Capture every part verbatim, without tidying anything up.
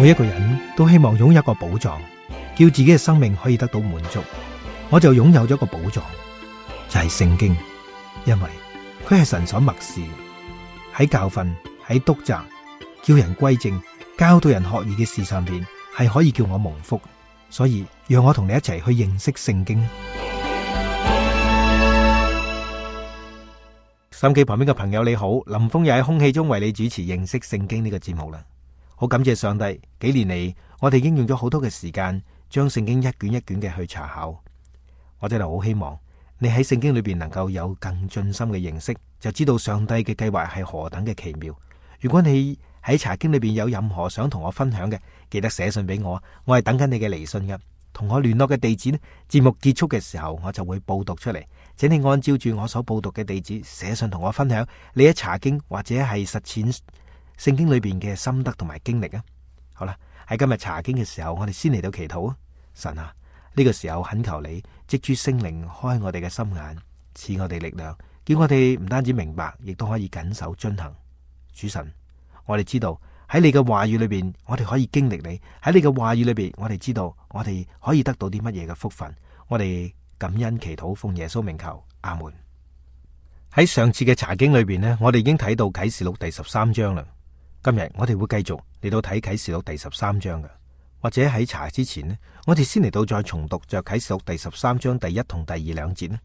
每一個人都希望擁有一個寶藏，叫自己嘅生命可以得到滿足。我就擁有咗一個寶藏，就係聖經，因為佢係神所默示，喺教訓、喺督責、叫人歸正、教導人學義嘅事上邊，係可以叫我蒙福。所以讓我同你一齊去認識聖經。收音機旁邊嘅朋友你好，林峰又喺空氣中為你主持認識聖經呢個節目啦。好感謝上帝，幾年嚟我哋已經用咗好多嘅時間，將聖經一卷一卷嘅去查考。我真係好希望你喺聖經裏邊能夠有更盡心嘅認識，就知道上帝嘅計劃係何等嘅奇妙。如果你喺查經裏邊有任何想同我分享嘅，記得寫信俾我，我係等緊你嘅嚟信嘅。同我聯絡嘅地址呢，節目結束嘅時候我就會報讀出嚟，請你按照住我所報讀嘅地址寫信同我分享你喺查經或者係實踐聖經裏邊嘅心得同埋經歷啊！好啦，喺今日查經嘅時候，我哋先嚟到祈禱啊！神啊，呢個時候懇求你藉住聖靈開我哋嘅心眼，賜我哋力量，叫我哋唔單止明白，亦都可以謹守遵行。主神，我哋知道喺你嘅話語裏邊，我哋可以經歷你；喺你嘅話語裏邊，我哋知道我哋可以得到啲乜嘢嘅福分。我哋感恩祈禱，奉耶穌名求，阿門。喺上次嘅查經裏邊呢，我哋已經睇到啟示錄第十三章啦。今日我哋會繼續嚟到睇啟示錄第十三章嘅，或者喺查之前呢，我哋先嚟到再重讀就啟示錄第十三章第一同第二兩節呢。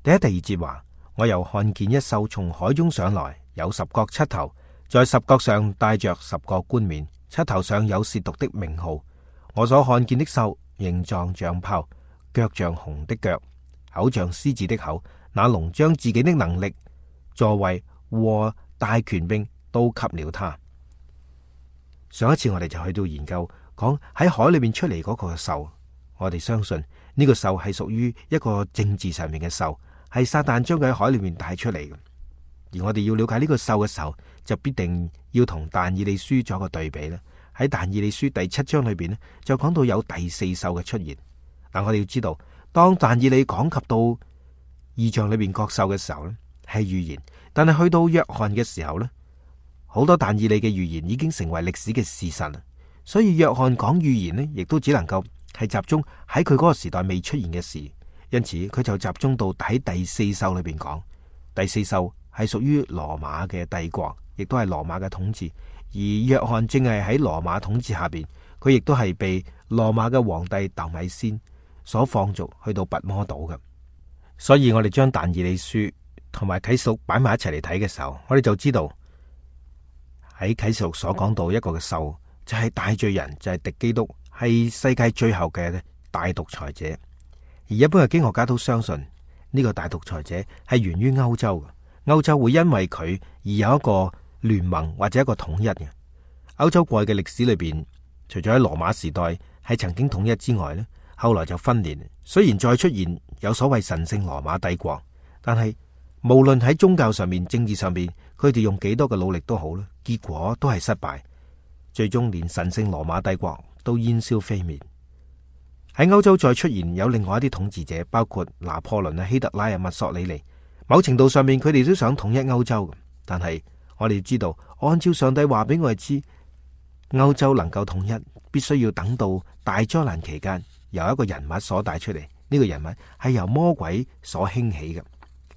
第一、第二節話：我又看見一獸從海中上來，有十角七頭，在十角上帶着十個冠冕，七頭上有褻瀆的名號。我所看見的獸形狀像豹，腳像熊的腳，口像獅子的口。那龍將自己的能力、座位和大權柄都給了他。上一次我哋就去到研究講喺海裏面出嚟嗰個獸，我哋相信呢個獸係屬於一個政治上面嘅獸，係撒旦將佢喺海裏面帶出嚟嘅。而我哋要了解呢個獸嘅時候，就必定要同但以理書做一個對比啦。喺但以理書第七章裏邊呢，就講到有第四獸嘅出現。但我哋要知道，當但以理講及到異象裏邊各獸嘅時候呢，係預言，但係去到約翰嘅時候呢，好多但以理嘅預言已經成為歷史嘅事實啦。所以約翰講預言呢，亦都只能夠係集中喺佢嗰個時代未出現嘅事，因此佢就集中到喺第四獸裏邊講。第四獸係屬於羅馬嘅帝國，亦都係羅馬嘅統治。而約翰正係喺羅馬統治下邊，佢亦都係被羅馬嘅皇帝竇米先所放逐去到拔摩島嘅。所以我哋將但以理書同埋啟示錄擺埋一齊嚟睇嘅時候，我哋就知道喺啟示錄所講到一個嘅獸就係大罪人，就係敵基督，係世界最後嘅大獨裁者。而一般嘅經學家都相信呢個大獨裁者係源於歐洲嘅，歐洲會因為佢而有一個聯盟或者一個統一嘅。歐洲過去嘅歷史裏邊，除咗喺羅馬時代係曾經統一之外呢，後來就分裂。雖然再出現有所謂神聖羅馬帝國，但係無論喺宗教上面、政治上面，佢哋用幾多嘅努力都好啦，結果都係失敗，最終連神聖羅馬帝國都煙消飛滅。喺歐洲再出現有另外一啲統治者，包括拿破崙啊、希特拉啊、墨索里尼，某程度上面佢哋都想統一歐洲，但係我哋知道，按照上帝話俾我哋知，歐洲能夠統一，必須要等到大災難期間，由一個人物所帶出嚟。呢個人物係由魔鬼所興起嘅。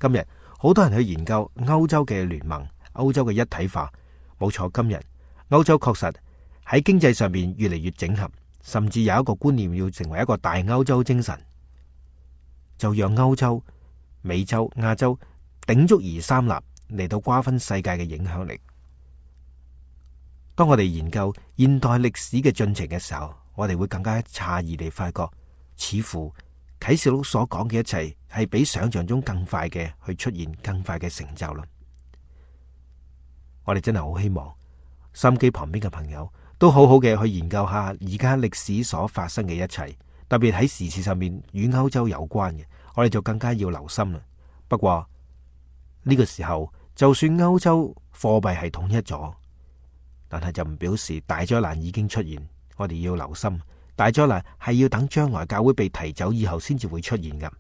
今日好多人去研究歐洲嘅聯盟、歐洲嘅一體化。冇錯，今日歐洲確實喺經濟上面越嚟越整合，甚至有一個觀念要成為一個大歐洲精神，就讓歐洲、美洲、亞洲鼎足而三立嚟到瓜分世界嘅影響力。當我哋研究現代歷史嘅進程嘅時候，我哋會更加詫異地發覺，似乎啟示錄所講嘅一切係比想象中更快嘅去出現，更快嘅成就啦。我哋真係好希望收音機旁邊嘅朋友都好好嘅去研究下而家歷史所發生嘅一切，特別喺時事上面與歐洲有關嘅，我哋就更加要留心啦。不過呢個時候，就算歐洲貨幣係統一咗，但係就唔表示大災難已經出現。我哋要留心，大災難係要等將來教會被提走以後先至會出現噶。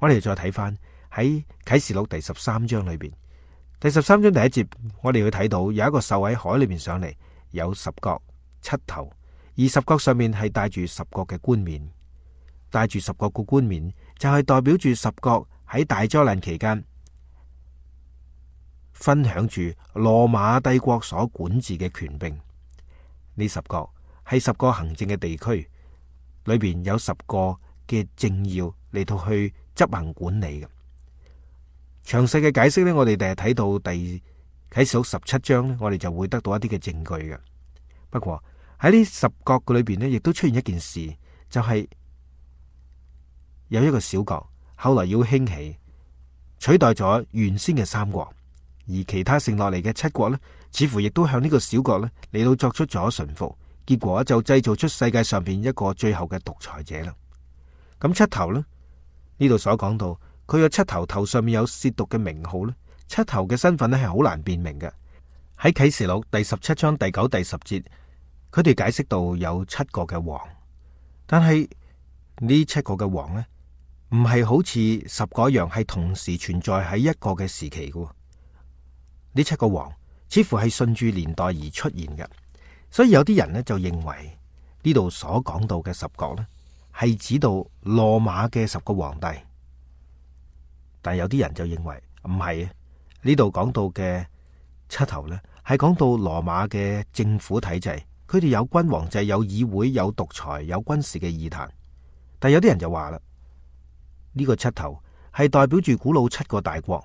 我哋再睇翻喺啟示錄第十三章裏邊，第十三章第一節，我哋會睇到有一個獸喺海裏邊上嚟，有十角七頭，而十角上面係戴住十個嘅冠冕，戴住十個個冠冕就係代表住十國喺大災難期間分享住羅馬帝國所管治嘅權柄。呢十國係十個行政嘅地區，裏邊有十個嘅政要嚟到去執行管理嘅。詳細嘅解釋呢，我哋第日睇到第啟示錄十七章呢，我哋就會得到一啲嘅證據嘅。不過喺呢十國嘅裏邊呢，亦都出現一件事，就係、是、有一個小國後來要興起，取代咗原先嘅三國，而其他剩落嚟嘅七國呢，似乎亦都向呢個小國呢嚟到作出咗順服，結果就製造出世界上邊一個最後嘅獨裁者啦。咁七頭呢，呢度所講到佢嘅七頭頭上面有褻瀆嘅名號呢，七頭嘅身份呢係好難辨明嘅。喺啟示錄第十七章第九、第十節，佢哋解釋到有七個嘅王，但係呢七個嘅王呢，唔係好似十個一樣係同時存在喺一個嘅時期嘅。呢七個王似乎係順住年代而出現嘅，所以有啲人呢就認為呢度所講到嘅十國呢係指到羅馬嘅十個皇帝，但有啲人就認為唔係，呢度講到嘅七頭呢係講到羅馬嘅政府體制，佢哋有君王制、有議會、有獨裁、有軍事嘅議壇。但有啲人就話啦，呢個七頭係代表住古老七個大國：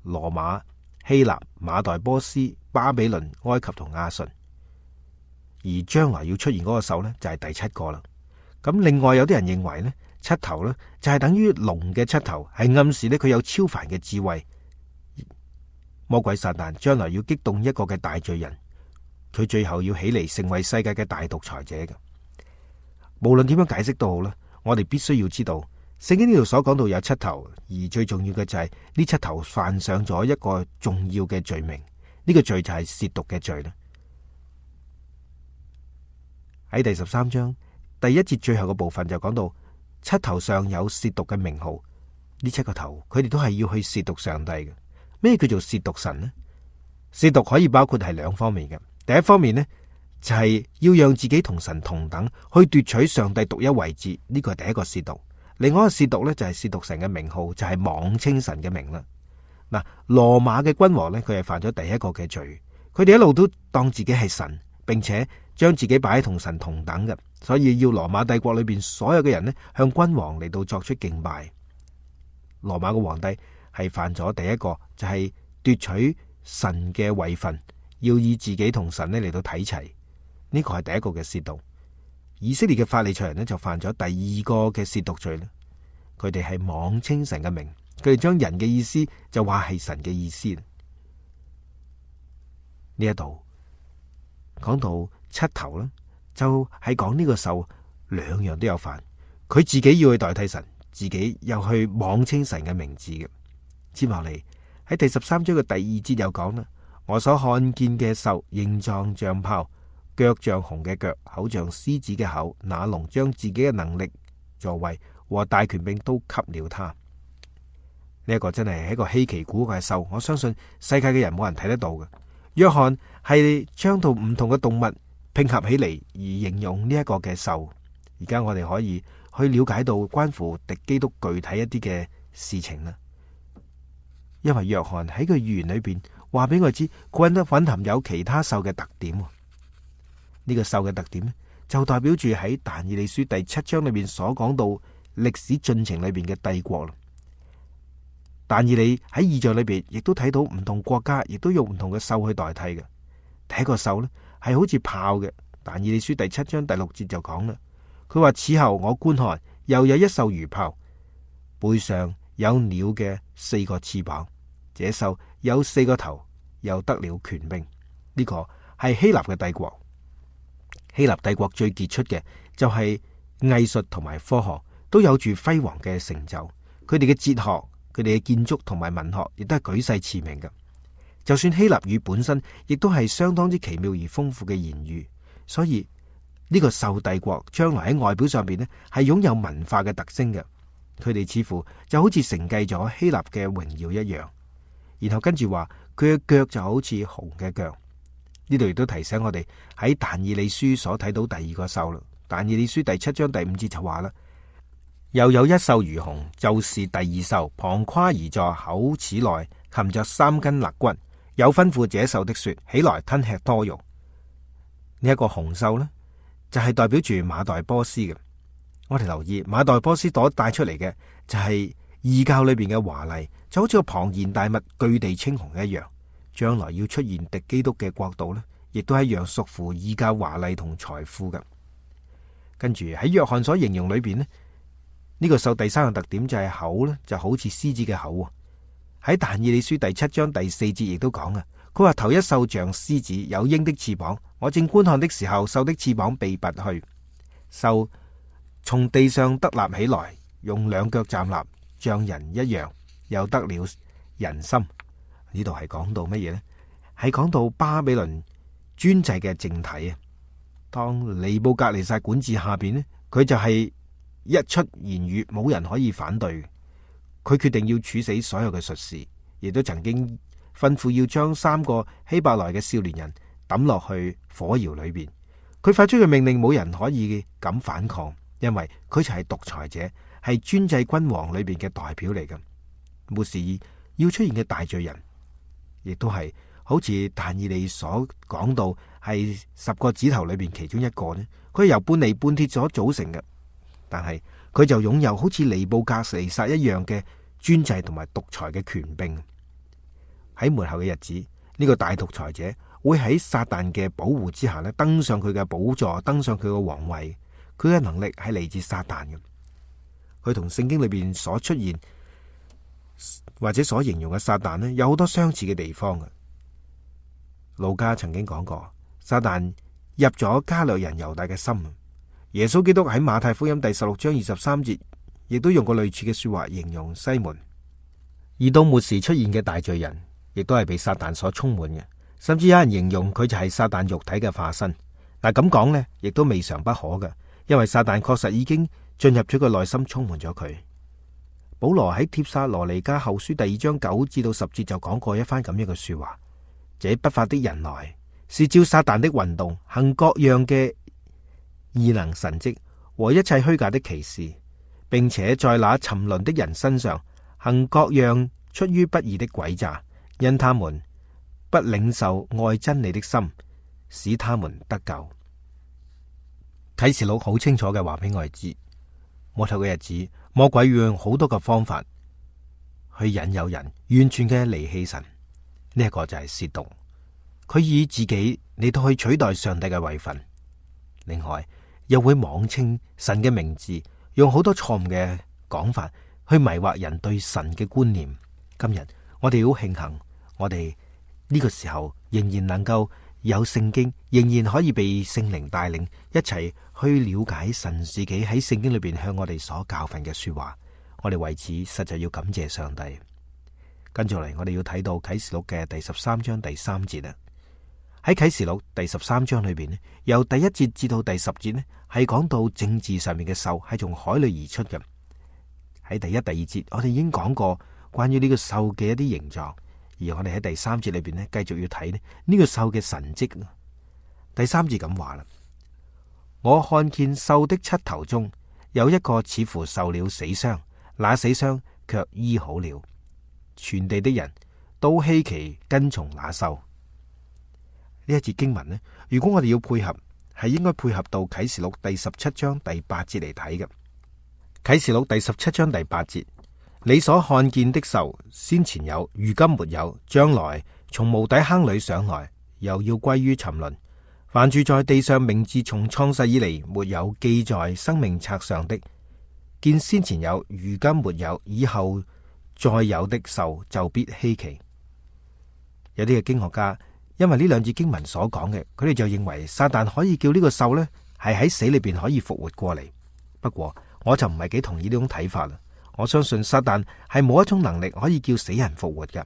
羅馬、希臘、馬代波斯、巴比倫、埃及同亞述。而將來要出現嗰個獸呢，就係第七個啦。咁另外有啲人認為呢，七頭呢就係等於龍嘅七頭，係暗示呢佢有超凡嘅智慧。魔鬼撒旦將來要激動一個嘅大罪人，佢最後要起嚟成為世界嘅大獨裁者嘅。無論點樣解釋都好啦，我哋必須要知道聖經呢度所講到有七頭，而最重要嘅就係呢七頭犯上咗一個重要嘅罪名，呢、這個罪就係褻瀆嘅罪啦。喺第十三章第一節最後嘅部分就講到七頭上有褻瀆嘅名號，呢七個頭佢哋都係要去褻瀆上帝嘅。咩叫做褻瀆神呢？褻瀆可以包括係兩方面嘅。第一方面呢，就係、是、要讓自己同神同等，去奪取上帝獨一位置，呢、這個係第一個褻瀆。另外一個褻瀆呢，就係褻瀆神嘅名號，就係、是、妄稱神嘅名啦。嗱，羅馬嘅君王呢，佢係犯咗第一個嘅罪，佢哋一路都當自己係神，並且將自己擺喺同神同等嘅，所以要羅馬帝國裏邊所有嘅人呢，向君王嚟到作出敬拜。羅馬嘅皇帝係犯咗第一個，就係、是、奪取神嘅位份，要以自己同神呢嚟到睇齊，呢、這個係第一個嘅褻瀆。以色列嘅法利賽人呢，就犯咗第二個嘅褻瀆罪咧，佢哋係妄稱神嘅名，佢哋將人嘅意思就話係神嘅意思。呢一度講到七頭啦，就係講呢個獸兩樣都有犯，佢自己要去代替神，自己又去妄稱神嘅名字嘅。接落嚟喺第十三章嘅第二節又講啦，我所看見嘅獸形狀像豹，腳像熊嘅腳，口像獅子嘅口，那龍將自己嘅能力、座位和大權柄都給了他。呢、這、一個真係一個稀奇古怪嘅獸，我相信世界嘅人冇人睇得到嘅。約翰係將到唔同嘅動物拼合起嚟而形容呢一個嘅獸。而家我哋可以去了解到關乎敵基督具體一啲嘅事情啦。因為約翰喺佢預言裏邊話俾我知，佢得蘊含有其他獸嘅特點。呢、這個獸嘅特點咧，就代表住喺但以理書第七章裏邊所講到歷史進程裏邊嘅帝國啦。但以理喺異象裏邊亦都睇到唔同國家亦都用唔同嘅獸去代替嘅。第一個獸呢，係好似豹嘅，但以理書第七章第六節就講啦，佢話此後我觀看，又有一獸如豹，背上有鳥嘅四個翅膀，這獸有四個頭，又得了權柄。呢、這個係希臘嘅帝國。希臘帝國最傑出嘅就係藝術同埋科學都有住輝煌嘅成就，佢哋嘅哲學、佢哋嘅建築同埋文學亦都係舉世馳名嘅。就算希臘語本身亦都係相當之奇妙而豐富嘅言語，所以呢、這個獸帝國將來喺外表上邊呢係擁有文化嘅特徵嘅。佢哋似乎就好似承繼咗希臘嘅榮耀一樣。然後跟住話佢嘅腳就好似熊嘅腳，呢度亦都提醒我哋喺但以理書所睇到第二個獸啦。但以理書第七章第五節就話啦，又有一獸如熊，就是第二獸，旁跨而坐，口齒內含着三根肋骨，有吩咐這獸的說，起來吞吃多肉。呢、這、一個熊獸呢，就係、是、代表住馬代波斯嘅。我哋留意馬代波斯所帶出嚟嘅就係異教裏邊嘅華麗，就好似個龐然大物巨地青紅一樣。將來要出現敵基督嘅國度呢，亦都係一樣屬乎異教華麗同財富嘅。跟住喺約翰所形容裏邊呢，呢、這個獸第三個特點就係口呢，就好似獅子嘅口。喺但以理書第七章第四節亦都講啊，佢話頭一獸像獅子，有鷹的翅膀。我正觀看的時候，獸的翅膀被拔去，獸從地上得立起來，用兩腳站立，像人一樣，又得了人心。呢度係講到乜嘢呢？係講到巴比倫專制嘅政體啊。當尼布甲尼撒管治下邊呢，佢就係一出言語冇人可以反對。佢決定要處死所有嘅術士，亦都曾經吩咐要將三個希伯來嘅少年人抌落去火窯裏邊。佢發出嘅命令冇人可以敢反抗，因為佢就係獨裁者，係專制君王裏邊嘅代表嚟嘅。末時要出現嘅大罪人，亦都係好似但以理所講到係十個指頭裏邊其中一個呢，佢係由半尼半鐵所組成嘅，但係佢就擁有好似尼布甲尼撒一樣嘅專制同埋獨裁嘅權柄。喺末後嘅日子，呢、這個大獨裁者會喺撒旦嘅保護之下咧，登上佢嘅寶座，登上佢嘅皇位。佢嘅能力係嚟自撒旦嘅。佢同聖經裏邊所出現或者所形容嘅撒旦呢，有好多相似嘅地方嘅。路加曾經講過，撒旦入咗加略人猶大嘅心。耶穌基督喺馬太福音第十六章二十三節，亦都用過類似嘅說話形容西門。而到末時出現嘅大罪人，亦都係被撒旦所充滿嘅，甚至有人形容佢就係撒旦肉體嘅化身。但咁講呢，亦都未嘗不可嘅，因為撒旦確實已經進入咗佢內心，充滿咗佢。保羅喺帖撒羅尼迦後書第二章九至到十節就講過一番咁樣嘅說話：這不法的人來，是照撒旦的運動，行各樣嘅異能神蹟和一切虛假的奇事，並且在那沉淪的人身上行各樣出於不義的詭詐，因他們不領受愛真理的心，使他們得救。啟示錄好清楚嘅話俾我哋知，末後嘅日子，魔鬼要用好多嘅方法去引誘人完全嘅離棄神。呢一個就係褻瀆，佢以自己嚟到去取代上帝嘅位份。另外又會妄稱神嘅名字，用好多錯誤嘅講法去迷惑人對神嘅觀念。今日我哋好慶幸，我哋呢個時候仍然能夠有聖經，仍然可以被聖靈帶領一齊去了解神自己喺聖經裏邊向我哋所教訓嘅說話。我哋為此實在要感謝上帝。跟住嚟，我哋要睇到啟示錄嘅第十三章第三節啦。喺啟示錄第十三章裏邊咧，由第一節至到第十節咧，係講到政治上面嘅獸係從海裏而出嘅。喺第一、第二節，我哋已經講過關於呢個獸嘅一啲形狀。而我哋喺第三節裏邊咧，繼續要睇咧呢個獸嘅神蹟。第三節咁話啦：我看見獸的七頭中有一個似乎受了死傷，那死傷卻醫好了。全地的人都稀奇跟從那獸。呢一節經文呢，如果我哋要配合，係應該配合到啟示錄第十七章第八節嚟睇嘅。啟示錄第十七章第八節。你所看見的獸，先前有，如今沒有，將來從無底坑裏上來，又要歸於沉淪。凡住在地上名字從創世以嚟沒有記在生命冊上的，見先前有，如今沒有，以後再有的獸就必稀奇。有啲嘅經學家因為呢兩節經文所講嘅，佢哋就認為撒旦可以叫呢個獸呢係喺死裏邊可以復活過嚟。不過我就唔係幾同意呢種睇法啦。我相信撒旦係冇一種能力可以叫死人復活嘅，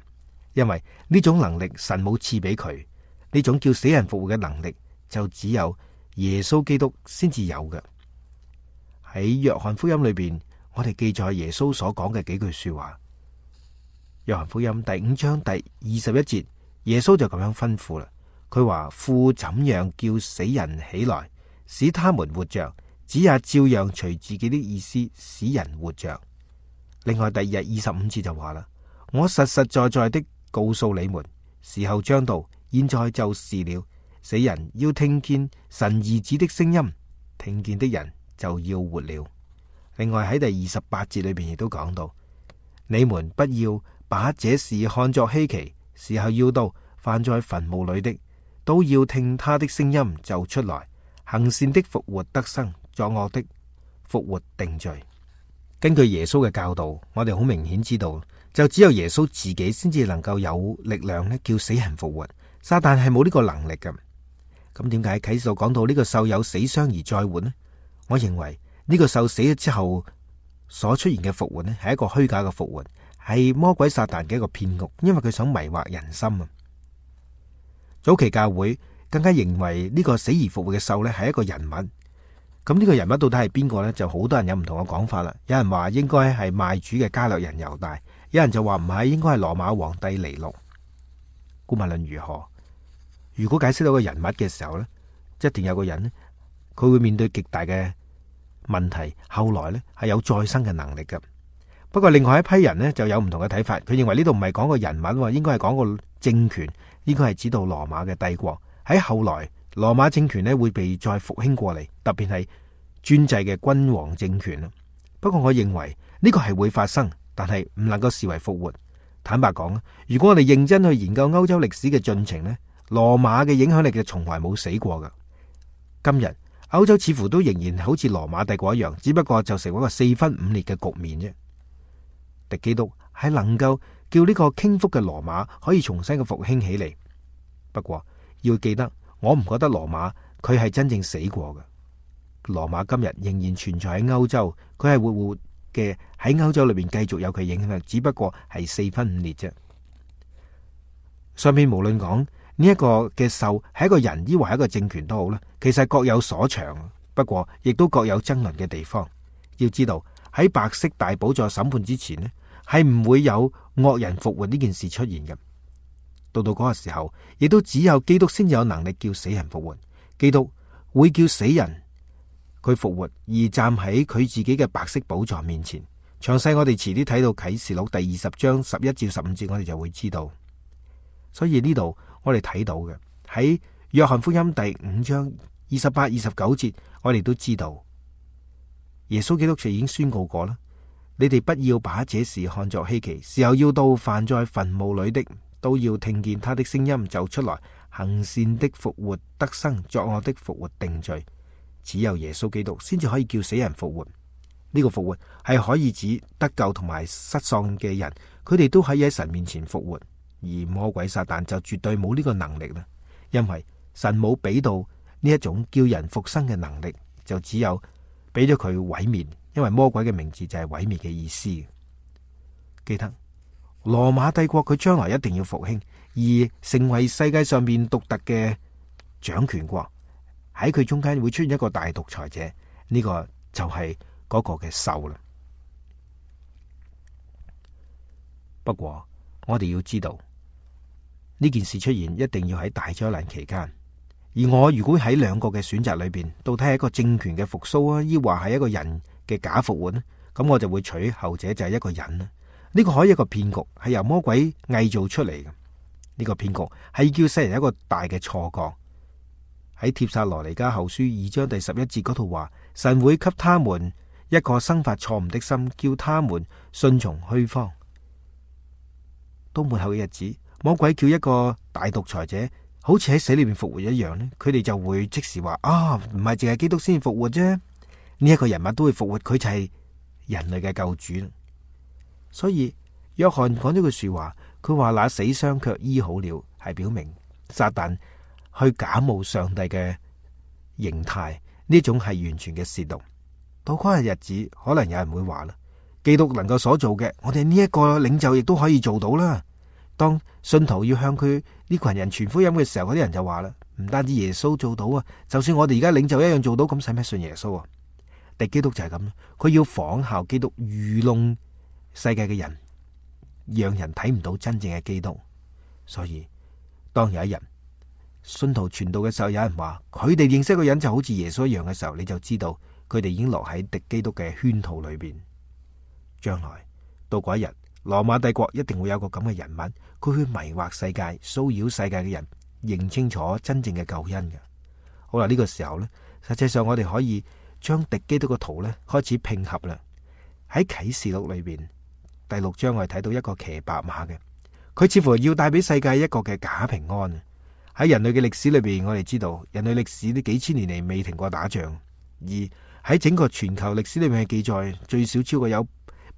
因為呢種能力神冇賜俾佢。呢種叫死人復活嘅能力就只有耶穌基督先至有嘅。喺約翰福音裏邊，我哋記載耶穌所講嘅幾句說話。約翰福音第五章第二十一節，耶穌就咁樣吩咐啦。佢話父怎樣叫死人起來，使他們活着，子也照樣隨自己的意思使人活着。另外第二日二十五節就話啦，我實實在在的告訴你們，時候將到，現在就是了。死人要聽見神兒子的聲音，聽見的人就要活了。另外喺第二十八節裏邊亦都講到，你們不要把這事看作稀奇，時候要到，犯在墳墓裏的都要聽他的聲音就出來，行善的復活得生，作惡的復活定罪。根據耶穌嘅教導，我哋好明顯知道，就只有耶穌自己先至能夠有力量咧，叫死人復活。撒旦係冇呢個能力嘅。咁點解啟示錄講到呢個獸有死傷而再活呢？我認為呢個獸死咗之後所出現嘅復活呢，係一個虛假嘅復活，係魔鬼撒旦嘅一個騙局，因為佢想迷惑人心啊。早期教會更加認為呢個死而復活嘅獸呢係一個人物。咁呢個人物到底係邊個呢？就好多人有唔同嘅講法啦。有人話應該係賣主嘅加略人猶大，有人就話唔係，應該係羅馬皇帝尼祿。無論如何，如果解釋到個人物嘅時候呢，一定有個人呢，佢會面對極大嘅問題，後來呢係有再生嘅能力嘅。不過另外一批人呢就有唔同嘅睇法，佢認為呢度唔係講個人物，應該係講個政權，應該係指到羅馬嘅帝國。喺後來羅馬政權呢會被再復興過嚟，特別係專制嘅君王政權。不過我認為呢個係會發生，但係唔能夠視為復活。坦白講，如果我哋認真去研究歐洲歷史嘅進程呢，羅馬嘅影響力就從來冇死過噶。今日歐洲似乎都仍然好似羅馬帝國一樣，只不過就成為一個四分五裂嘅局面啫。敵基督係能夠叫呢個傾覆嘅羅馬可以重新嘅復興起嚟。不過要記得，我唔覺得羅馬佢係真正死過嘅。羅馬今日仍然存在喺歐洲，佢係活活嘅喺歐洲裏邊繼續有佢影響力，只不過係四分五裂啫。上面無論講呢一個嘅獸係一個人，抑或係一個政權都好啦，其實各有所長，不過亦都各有爭論嘅地方。要知道喺白色大寶座審判之前呢，係唔會有惡人復活呢件事出現嘅。到到嗰個時候，亦都只有基督先有能力叫死人復活。基督會叫死人佢復活，而站喺佢自己嘅白色寶座面前。詳細我哋遲啲睇到啟示錄第二十章十一至十五節，我哋就會知道。所以呢度我哋睇到嘅喺約翰福音第五章二十八、二十九節，我哋都知道耶穌基督就已經宣告過啦：你哋不要把這事看作稀奇，時候要到，犯在墳墓裏的都要聽見他的聲音就出來，行善的復活得生，作惡的復活定罪。只有耶穌基督先至可以叫死人復活。呢個復活係可以指得救同埋失喪嘅人，佢哋都可以喺神面前復活。而魔鬼撒旦就絕對冇呢個能力啦，因為神冇俾到呢一種叫人復生嘅能力，就只有俾咗佢毀滅。因為魔鬼嘅名字就係毀滅嘅意思。記得羅馬帝國佢將來一定要復興，而成為世界上面獨特嘅掌權國。喺佢中間會出現一個大獨裁者，呢、這個就係嗰個嘅獸啦。不過我哋要知道呢件事出現一定要喺大災難期間，而我如果喺兩個嘅選擇裏邊，到底係一個政權嘅復甦啊，抑或係一個人嘅假復活呢？咁我就會取後者，就係一個人啦。呢個可以一個騙局，係由魔鬼偽造出嚟嘅。呢個騙局係叫世人一個大嘅錯覺。喺帖撒羅尼迦後書二章第十一節嗰度話，神會給他們一個生發錯誤的心，叫他們順從虛謊。到末後嘅日子，魔鬼叫一個大獨裁者好似喺死裏面復活一樣呢，佢哋就會即時話啊，唔係淨係基督先復活啫，呢一個人物都會復活，佢就係人類嘅救主。所以約翰講咗句說話，佢話那死傷卻醫好了，係表明撒旦去假冒上帝嘅形態，呢種係完全嘅褻瀆。到嗰日日子，可能有人會話啦，基督能夠所做嘅，我哋呢一個領袖亦都可以做到啦。當信徒要向佢呢群人傳福音嘅時候，嗰啲人就話啦，唔單止耶穌做到啊，就算我哋而家領袖一樣做到，咁使咩信耶穌啊？敵基督就係咁，佢要仿效基督，愚弄世界嘅人，讓人睇唔到真正嘅基督。所以當有一日信徒傳道嘅時候，有人話佢哋認識一個人就好似耶穌一樣嘅時候，你就知道佢哋已經落喺敵基督嘅圈套裏邊。將來到嗰一日，羅馬帝國一定會有個咁嘅人物，佢去迷惑世界、騷擾世界嘅人，認清楚真正嘅救恩嘅。好啦，呢個時候呢，實際上我哋可以將敵基督嘅圖呢開始拼合啦。喺啟示錄裏邊第六章，我哋睇到一個騎白馬嘅，佢似乎要帶俾世界一個嘅假平安。喺人類嘅歷史裏邊，我哋知道人類歷史呢幾千年嚟未停過打仗，而喺整個全球歷史裏面嘅記載，最少超過有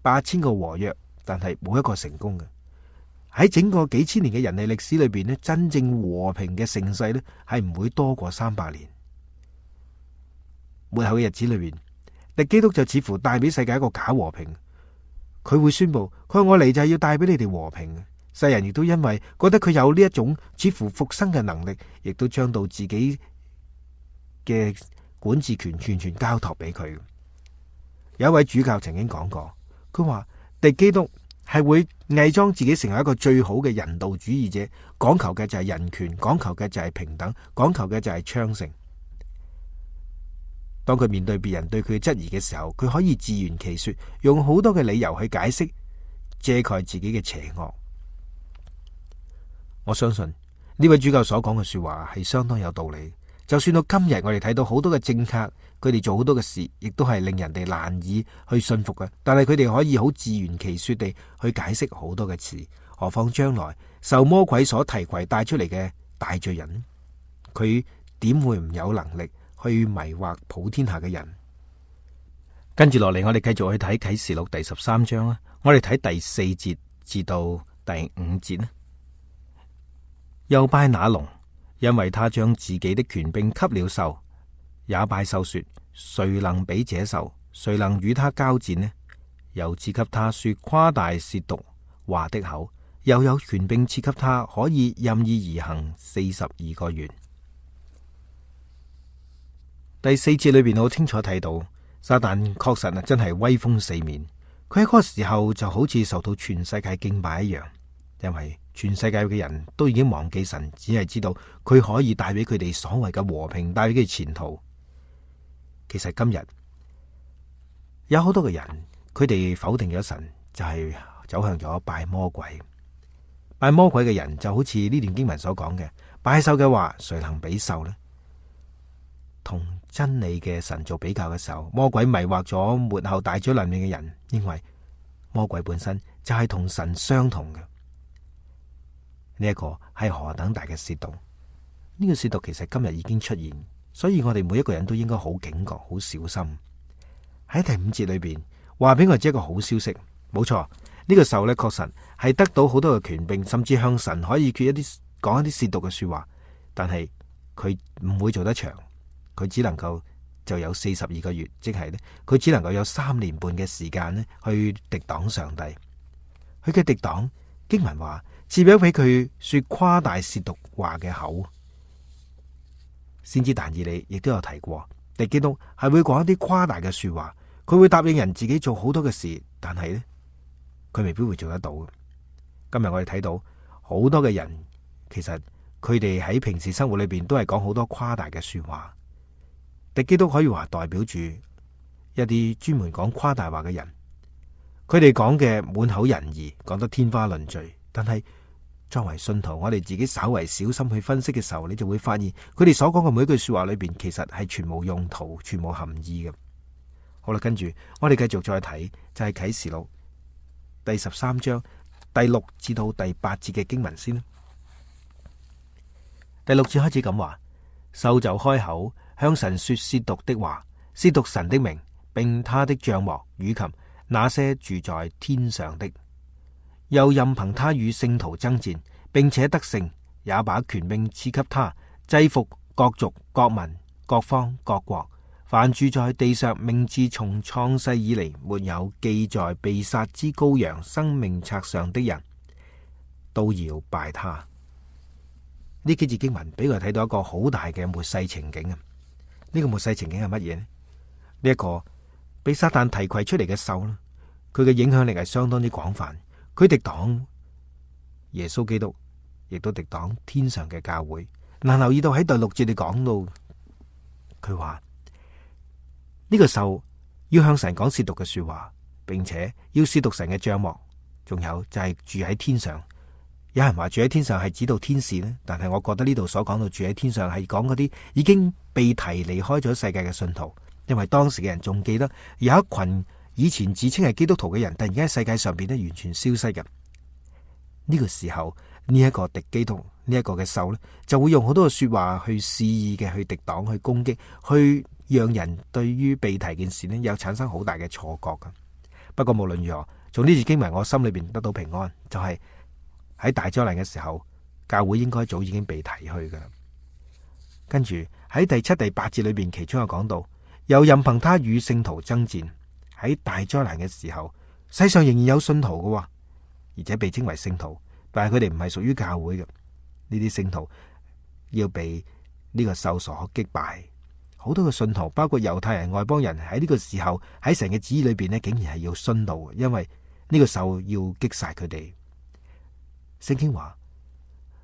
八千個和約，但係冇一個成功嘅。喺整個幾千年嘅人類歷史裏邊呢，真正和平嘅盛世呢係唔會多過三百年。末後嘅日子裏邊，敵基督就似乎帶俾世界一個假和平。佢會宣布，佢話我嚟就係要帶俾你哋和平。世人亦都因為覺得佢有呢一種似乎復生嘅能力，亦都將到自己嘅管治權完全交託俾佢。有一位主教曾經講過，佢話敵基督係會偽裝自己成為一個最好嘅人道主義者，講求嘅就係人權，講求嘅就係平等，講求嘅就係昌盛。當佢面對別人對佢嘅質疑嘅時候，佢可以自圓其說，用好多嘅理由去解釋，遮蓋自己嘅邪惡。我相信呢位主教所講嘅說話係相當有道理。就算到今日，我哋睇到好多嘅政客，佢哋做好多嘅事，亦都係令人哋難以去信服嘅。但係佢哋可以好自圓其說地去解釋好多嘅詞，何況將來受魔鬼所提攜帶出嚟嘅大罪人，佢點會唔有能力去迷惑普天下嘅人？跟住落嚟，我哋繼續去睇啟示錄第十三章啦。我哋睇第四節至到第五節啦。又拜那龍，因為他將自己的權柄給了獸，也拜獸說：誰能比這獸？誰能與他交戰呢？又賜給他說誇大褻瀆話的口，又有權柄賜給他，可以任意而行四十二個月。第四節裏邊好清楚睇到，撒旦確實啊真係威風四面。佢喺嗰個時候就好似受到全世界敬拜一樣，因為全世界嘅人都已經忘記神，只係知道佢可以帶俾佢哋所謂嘅和平，帶俾佢哋前途。其實今日有好多嘅人，佢哋否定咗神，就係走向咗拜魔鬼。拜魔鬼嘅人就好似呢段經文所講嘅，拜獸嘅話，誰能比獸呢？同真理嘅神做比較嘅時候，魔鬼迷惑咗末後大災難嘅人，因為魔鬼本身就係同神相同嘅。呢一個係何等大嘅褻瀆？呢個褻瀆其實今日已經出現，所以我哋每一個人都應該好警覺、好小心。喺第五節裏邊話俾我知一個好消息，冇錯，呢個獸咧確實係得到好多嘅權柄，甚至向神可以決一啲講一啲褻瀆嘅說話，但係佢唔會做得長，佢只能夠就有四十二個月，即係咧佢只能夠有三年半嘅時間咧去敵擋上帝。佢嘅敵擋經文話，賜俾佢說誇大褻瀆話嘅口。先知但以理亦都有提過，敵基督係會講一啲誇大嘅說話，佢會答應人自己做好多嘅事，但係呢，佢未必會做得到。今日我哋睇到好多嘅人，其實佢哋喺平時生活裏邊都係講好多誇大嘅說話。敵基督可以話代表住一啲專門講誇大話嘅人，佢哋講嘅滿口仁義，講得天花亂墜，但係作為信徒，我哋自己稍為小心去分析嘅時候，你就會發現佢哋所講嘅每一句說話裏邊，其實係全無用途、全無含義嘅。好啦，跟住我哋繼續再睇，就係啟示錄第十三章第六至到第八節嘅經文先啦。第六節開始咁話，獸就開口向神說褻瀆的話，褻瀆神的名，並他的帳幕與及那些住在天上的。又任憑他與聖徒爭戰，並且得勝，也把權柄賜給他，制服各族、各民、各方、各國，凡住在地上名字從創世以嚟沒有記在被殺之羔羊生命冊上的人，都要拜他。呢幾節經文俾佢睇到一個好大嘅末世情景啊！呢個末世情景係乜嘢呢？呢一個被撒旦提攜出嚟嘅獸啦，佢嘅影響力係相當之廣泛。佢敵擋耶穌基督，亦都敵擋天上嘅教會。嗱，留意到喺第六節你講到，佢話呢個獸要向神講褻瀆嘅說話，並且要褻瀆神嘅帳幕，仲有就係住喺天上。有人話住喺天上係指到天使呢，但係我覺得呢度所講到住喺天上係講嗰啲已經被提離開咗世界嘅信徒，因為當時嘅人仲記得有一群以前自稱係基督徒嘅人，突然間喺世界上邊咧完全消失嘅。呢個時候呢一個敵基督呢一個嘅獸呢，就會用好多嘅說話去肆意嘅去敵擋、去攻擊、去讓人對於被提件事呢有產生好大嘅錯覺噶。不過無論如何，從呢次經文我心裏邊得到平安，就係喺大災難嘅時候，教會應該早已經被提去噶。跟住喺第七、第八節裏邊，其中有講到，又任憑他與聖徒爭戰。喺大災難嘅時候，世上仍然有信徒噶，而且被稱為聖徒，但係佢哋唔係屬於教會嘅。呢啲聖徒要被呢個獸所擊敗。好多嘅信徒，包括猶太人、外邦人，喺呢個時候喺神嘅旨意裏邊呢，竟然係要殉道，因為呢個獸要擊殺佢哋。聖經話：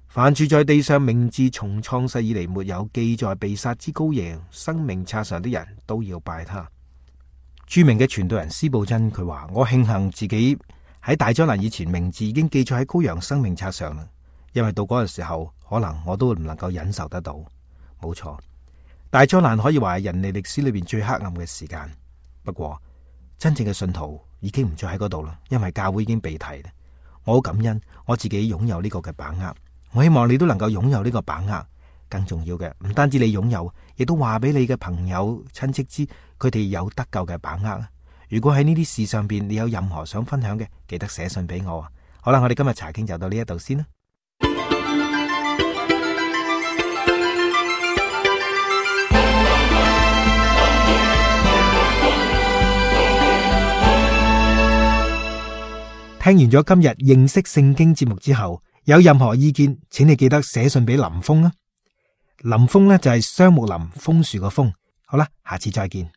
凡住在地上名字從創世以嚟沒有記在被殺之羔羊生命冊上的人，都要拜他。著名嘅傳道人司布真佢話：我慶幸自己喺大災難以前名字已經記載喺羔羊生命冊上啦，因為到嗰個時候可能我都唔能夠忍受得到。冇錯，大災難可以話係人類歷史裏邊最黑暗嘅時間。不過真正嘅信徒已經唔再喺嗰度啦，因為教會已經被提啦。我好感恩我自己擁有呢個嘅把握，我希望你都能夠擁有呢個把握。更重要嘅，唔單止你擁有，亦都話俾你嘅朋友親戚知，佢哋有得救嘅把握。如果喺呢啲事上邊你有任何想分享嘅，記得寫信俾我啊。好啦，我哋今日查經就到呢一度先啦。聽完咗今日認識聖經節目之後，有任何意見，請你記得寫信俾林峰啊。林峰呢就係雙木林楓樹個楓。好啦，下次再見。